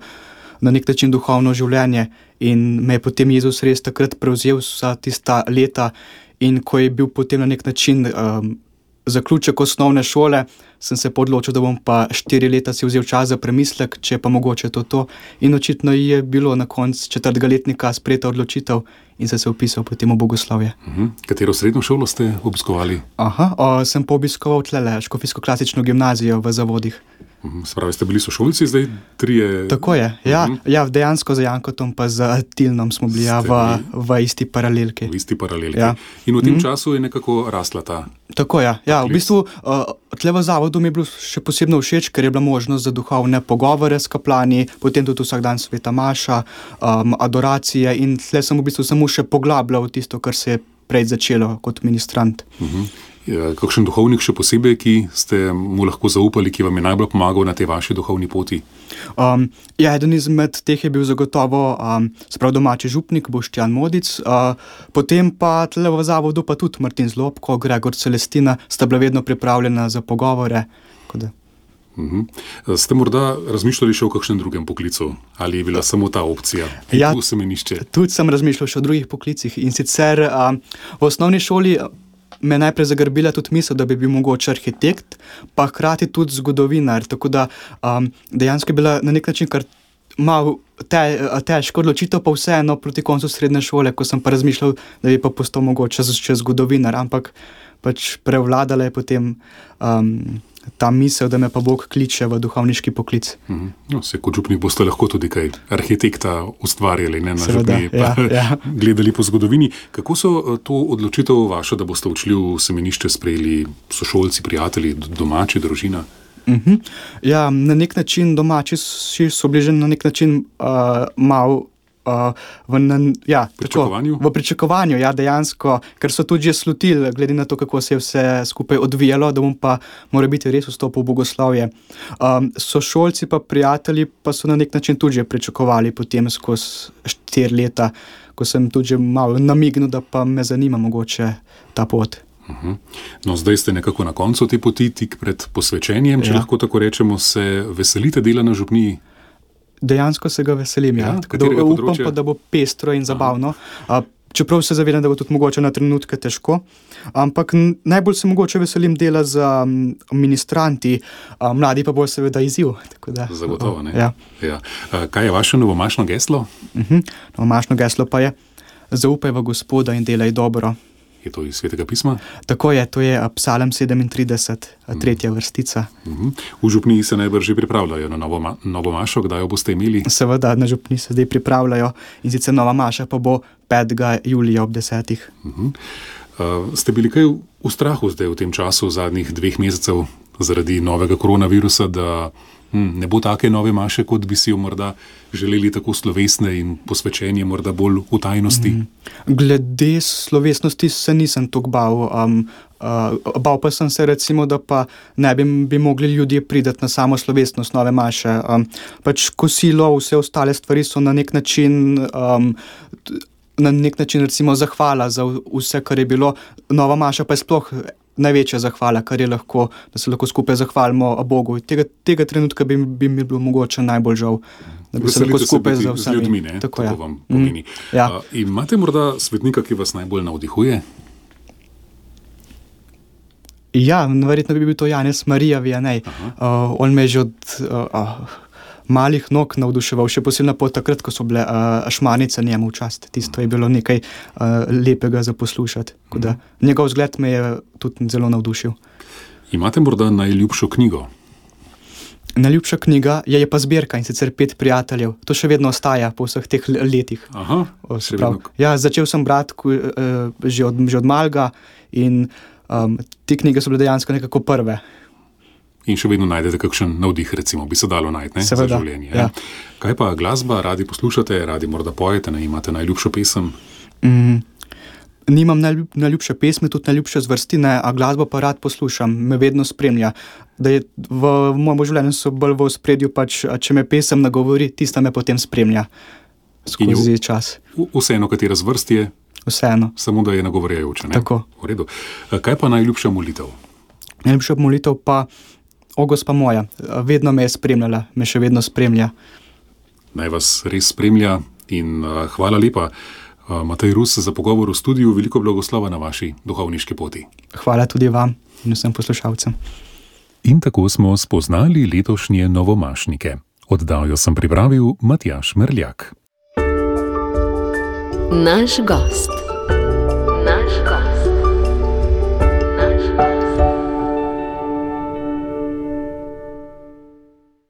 na nek način duhovno življenje in me je potem Jezus res takrat prevzel vsa tista leta in ko je bil potem na nek način um, zaključek osnovne šole, sem se odločil, da bom pa štiri leta si vzel čas za premislek, če pa mogoče to to. In očitno je bilo na koncu četrtega letnika sprejeta odločitev in sem se vpisal potem v bogoslovje. Uh-huh. Katero srednjo šolo ste obiskovali? Aha, o, sem pa obiskoval tlele Škofijsko-klasično gimnazijo v Zavodih. Uh-huh. Spravi ste bili sošolci, zdaj trije... Tako je, ja, uh-huh. ja dejansko za Jankotom pa z Tilnom smo bili ja, v, v isti paralelki. V isti paralelki. Ja. In v tem uh-huh. času je nekako rasla ta... Tako je, ja, v bistvu uh, tle v Zavodu mi je bilo še posebno všeč, ker je bila možnost za duhovne pogovore s kaplani, potem tudi vsak dan sveta maša, um, adoracije in tle sem v bistvu samo še poglabljal tisto, kar se je prej začelo kot ministrant. Uh-huh. Ja, kakšen duhovnik še posebej, ki ste mu lahko zaupali, ki vam je najbolj pomagal na tej vaši duhovni poti? Um, ja, eden izmed teh je bil zagotovo um, sprav domači župnik Boštjan Modic, uh, potem pa tle v Zavodu pa tudi Martin Zlobko, Gregor Celestina sta bila vedno pripravljena za pogovore. Uh-huh. Ste morda razmišljali še o kakšnem drugem poklicu? Ali je bila samo ta opcija? Ja, semenišče? Tudi sem razmišljal še o drugih poklicih in sicer um, v osnovni šoli me najprej zagrbila tudi misel, da bi bil mogoče arhitekt, pa hkrati tudi zgodovinar, tako da um, dejansko je bila na nek način kar malo te, težko odločitev, pa vseeno proti koncu srednje šole, ko sem pa razmišljal, da bi pa postal mogoče še zgodovinar, ampak pač prevladala je potem um, ta misel, da me pa Bog kliče v duhovniški poklic. Uh-huh. No, se kot župnik boste lahko tudi kaj arhitekta ustvarjali, ne na Seveda, župni, pa ja, ja. gledali po zgodovini. Kako so to odločitev vašo, da boste odšli v semenišče, sprejeli sošolci, prijatelji, domači, družina? Uh-huh. Ja, na nek način domači so bili že na nek način uh, malo Uh, v, na, ja, pričakovanju? Tako, v pričakovanju, ja, dejansko, ker so tudi že slutili, glede na to, kako se je vse skupaj odvijalo, da bom pa mora biti res vstopil v bogoslovje. Um, sošolci pa prijatelji pa so na nek način tudi že pričakovali potem skozi štiri leta, ko sem tudi že malo namignil, da pa me zanima mogoče ta pot. Uh-huh. No, zdaj ste nekako na koncu te poti, tik pred posvečenjem, če ja. lahko tako rečemo, se veselite dela na župniji? Dejansko se ga veselim, ja. ja. Tako da upam pa, da bo pestro in zabavno. A, čeprav se zavedam, da bo tudi mogoče na trenutke težko, ampak najbolj se mogoče veselim dela z um, ministranti, a, mladi pa bolj seveda izziv. Tako da, Zagotovo, ne? Ja. Ja. A, kaj je vaše novomašno geslo? Uh-huh. Novomašno geslo pa je: zaupaj v Gospoda in delaj dobro. Je to iz Svetega pisma? Tako je, to je Psalm sedemintrideset, tretja vrstica. Uh-huh. V župniji se najbrž že pripravljajo na novo, ma- novo mašo, kdaj jo boste imeli? Seveda, na župniji se zdaj pripravljajo in sicer nova maša pa bo petega julija ob desetih. Uh-huh. Uh, ste bili kaj v strahu zdaj v tem času, v zadnjih dveh mesecev, zaradi novega koronavirusa, da hm, ne bo take nove maše, kot bi si jo morda želeli, tako slovesne in posvečenje morda bolj v tajnosti? Mm. Glede slovesnosti se nisem toliko bal. Um, uh, bal pa sem se recimo, da pa ne bi, bi mogli ljudje prideti na samo slovesnost nove maše. Um, pač kosilo, vse ostale stvari so na nek način... Um, na nek način recimo zahvala za vse, kar je bilo. Nova maša pa je sploh največja zahvala, kar je lahko, da se lahko skupaj zahvalimo Bogu. Tega, tega trenutka bi, bi mi bilo mogoče najbolj žal, da bi Veselite se lahko skupaj se z vsemi. z ljudmi, ne? Tako, Tako ja. vam pomeni. Mm, ja. A, imate morda svetnika, ki vas najbolj navdihuje? Ja, verjetno bi bil to Janez Marija Vianney. Uh, on me je že od uh, uh, malih nog navduševal, še posebno po takrat, ko so bile uh, šmarnice njemu v čast. Tisto je bilo nekaj uh, lepega za poslušati. Da, njegov vzgled me je tudi zelo navdušil. Imate morda najljubšo knjigo? Najljubša knjiga je, je pa zbirka, in sicer Pet prijateljev. To še vedno ostaja po vseh teh letih. Aha, o, se prav, ja, začel sem brati uh, že, od, že od malega in um, te knjige so bile dejansko nekako prve. In še vedno najdete kakšen navdih, recimo, bi se dalo najti, ne, za življenje. Ja. Kaj pa glasba, radi poslušate, radi morda pojete, ne, imate najljubšo pesem? Mm, nimam najljub, najljubše pesmi, tudi najljubše zvrsti, ne, a glasbo pa rad poslušam, me vedno spremlja. Da je v, v mojem življenju so bolj v ospredju, pač, če me pesem nagovori, tista me potem spremlja skozi v, čas. Vseeno, katera zvrst je? Vseeno. Samo da je nagovarjajoče, ne? Tako. V redu. Kaj pa najljubša molitev? Najljubša molitev pa O, gospa moja, vedno me je spremljala, me še vedno spremlja. Naj vas res spremlja in uh, hvala lepa, uh, Matej Rus, za pogovor v studiu. Veliko blagoslova na vaši duhovniški poti. Hvala tudi vam in vsem poslušalcem. In tako smo spoznali letošnje novomašnike. Oddajo sem pripravil Matjaž Merljak. Naš gost.